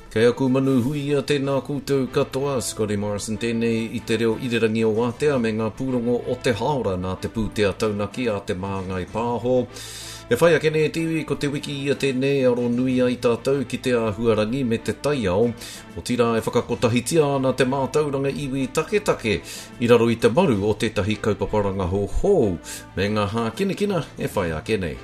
Kei aku manu huia tēnā koutou katoa, Scotty Morrison tēnei i te reo irirangi o Wātea me ngā pūrongo o te haora nā te pūtea taunaki a Te Māngai Pāho. E whai ake nei te iwi, ko te wiki ia tēnei e aro nui ai tātou ki te āhuarangi me te taiao, otirā e whakakotahitia ana te mātauranga iwi taketake i raro i te maru o tētahi kaupapa rangahau hou me ngā hākinakina e whai ake nei.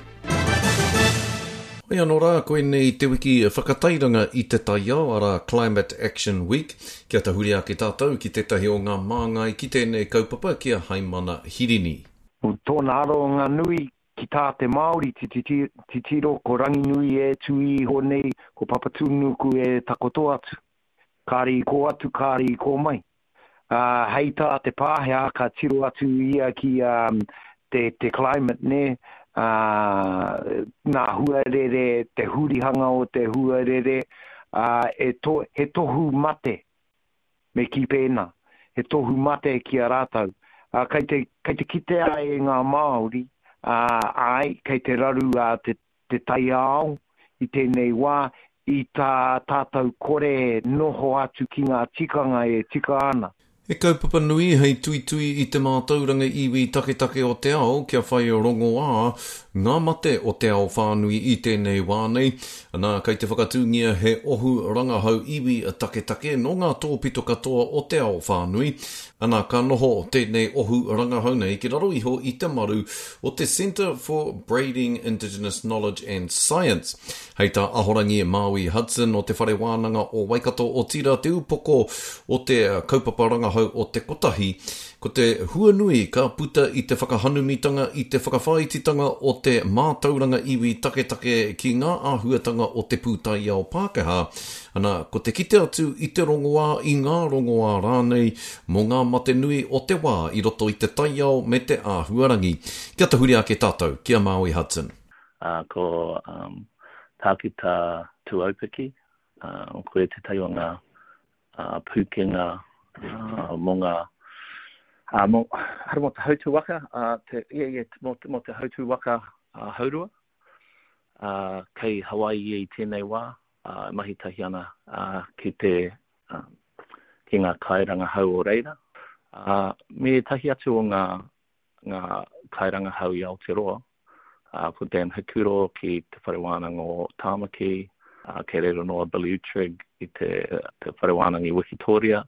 Hoi anō rā, koinei te wiki whakatairanga i te taiao, arā Climate Action Week. Kia tahuri ake tātou ki tētahi o ngā māngai ki tēnei kaupapa, ki a Haimana Hirini. Ko tōna aronga nui ki tā te Māori titiro ko Ranginui e tū iho nei, ko Papatūnuku e takoto atu. Kāre i kō atu, kāre i kō mai. Ā, hei tā te Pākehā ka tiro atu ia ki te, te climate, nē, ā, ngā huarere, te hurihanga o te huarere, ā, e to, he tohu mate, me kī pēnā, he tohu mate ki a rātou. Ā, kei te, kei te kitea e ngā Māori, ā, āe, kei te raru a te, te taiao i tēnei wā, i tā tātou kore noho atu ki ngā tikanga e tika ana. He kaupapa nui hei tuitui i te mātauranga iwi taketake o te ao kia whai rongoā ngā mate o te ao whānui i tēnei wā nei. Anā, kei te whakatūngia he ohu rangahau iwi taketake nō ngā tōpito katoa o te ao whānui. Anā, ka noho tēnei ohu rangahau nei ki raro iho i te maru o te Centre for Braiding Indigenous Knowledge and Science. Hei tā Ahorangi Māui Hudson o Te Whare Wānanga o Waikato, otirā te upoko o te kaupapa rangahau o Te Kotahi, ko te huanui ka puta i te whakahanumitanga i te whakawhāititanga o te mātauranga iwi taketake ki ngā āhuatanga o te pūtaiao Pākehā, ana, ko te kite atu i te rongoā, i ngā rongoā rānei, mō ngā mate nui o te wā i roto i te taiao me te āhuarangi. Kia tahuri ake tātou ki a Māui Hudson. Ā, ko Tākuta Tuaupiki, ko ia tētahi o ngā pūkenga mō ngā, mō, mō te hautū waka, te, yeah, yeah, mō, mō te hautū waka haurua, kei Hawaii ia i tēnei wā, e mahi tahi ana ki te, ki ngā kairangahau o reira, me ētahi atu o ngā, ngā kairangahau i Aotearoa, ko Dan Hikuro ki Te Whare Wānanga o Tāmaki, kei reira anō a Billy Uttrig i te, te Whare Wānanga i Wikitōria.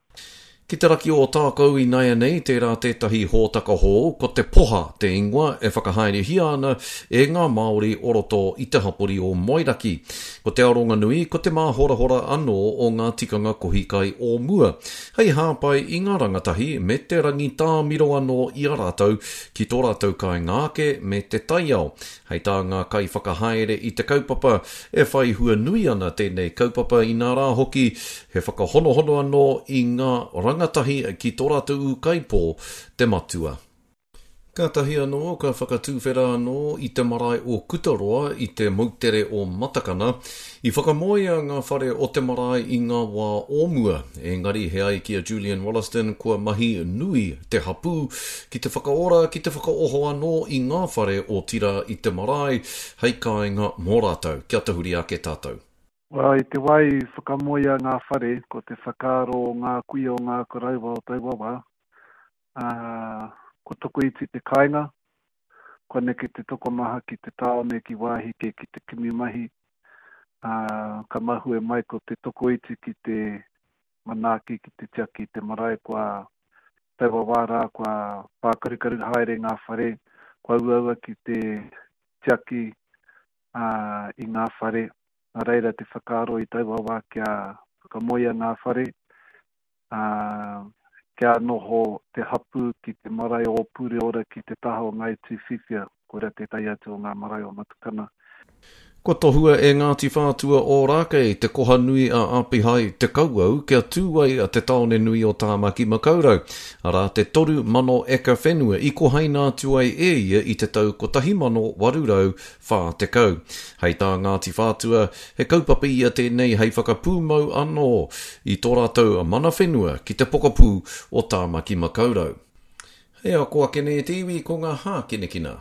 Ki te raki o Ōtākou inaianei, tērā tētahi hōtaka hou, ko te Poha te ingoa, e whakahaerehia ana e ngā Māori o roto i te hapori o Moeraki. Ko te aronga nui, ko te māhorahora anō o ngā tikanga kohi kai o mua, hei hāpai i ngā rangatahi me te rangitāmiro anō i a rātou ki tō rātou kāinga ake me te taiao. Hei tā ngā kaiwhakahaere i te kaupapa, e whai hua nui ana tēnei kaupapa inā rā hoki, he whakahonohono anō i ngā rangatahi ki tō rātou ūkaipō, te matua. Kātahi anō ka whakatuwhera anō i te marae o Kutaroa i te moutere o Matakana. I whakamoea ngā whare o te marae i ngā wā o mua, engari he ai ki a Julian Wollaston kua mahi nui te hapū ki te whakaora, ki te whakaoho anō i ngā whare otirā i te marae hei kāinga mō rātou. Kia tahuri ake tātou. Well, i te wā i whakamoea ngā whare, ko te whakaaro o ngā kuia o ngā koroua o taua wā, ā, kua tokoiti te kāinga, kua neke te tokomaha ki te tāone, ki wāhi kē ki te kimi mahi, ā, ka mahue mai ko te tokoiti ki te manaaki, ki te tiaki i te marae, kua taua wā rā, kua pākarukaru haere ngā whare, kua uaua ki te tiaki, ā, i ngā whare. Nā reira te whakaaro i taua wā kia whakamoea ngā whare, ā, kia noho te hapū ki te marae o Pureora ki te taha o Ngāi Tūwhiwhia, koirā tētahi atu o ngā marae o Matakana. Kua tohua e Ngāti Whātua Ōrākei te koha nui a Apihai Te Kauwau kia tū ai te tāone nui o Tāmaki Makaurau, arā te 3,000 eka whenua i kohaina atu ai e ia i te tau 1840. Hei tā Ngāti Whātua, He kaupapa ia tēnei hei whakapūmau anō i tō rātou mana whenua ki te pokapū o Tāmaki Makaurau. Hei ako ake nei e te iwi ko ngā hākinakina.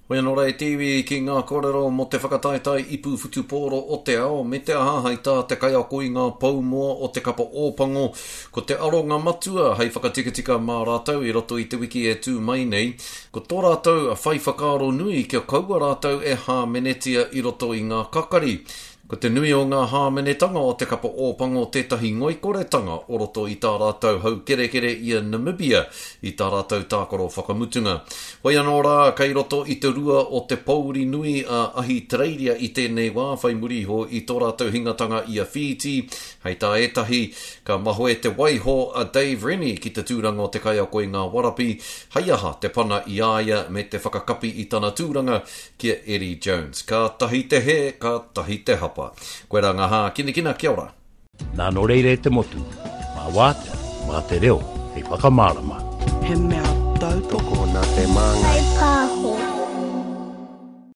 Hoi anō rā e te iwi ki ngā kōrero mō te whakataetae ipu whutupōro o te ao, me te aha hei tā te kaiako i ngā pou moa o te kapa Ōpango, ko te aronga matua hei whakatikatika mā rātou i roto i te wiki e tū mai nei, ko tō rātou whai whakaaro nui kia kaua rātou e hāmenetia i roto i ngā kakari. Ko te nui o ngā hāmenetanga o te kapa Ōpango tētahi ngoikoretanga o roto i tā rātou haukerekere i a Namibia i tā rātou tākaro whakamutunga. Hoi anō rā, kei roto i te rua o te pōuri nui a Ahitereiria i tēnei wā whai muri iho i tō rātou hingatanga i a Whītī. Hei tā ētahi, ka mahoe te waiho a Dave Rennie ki te tūranga o te kaiako i ngā warapi, hei aha te pana i a ia me te whakakapi i tana tūranga ki a Eddie Jones. Ka tahi te hē, ka tahi te hapa. Koirā ngā hākinakina, kia ora. Nā nō reira e te motu, mā wātea, mā te reo hei whakamārama. He mea tautoko. Tokona te māngai.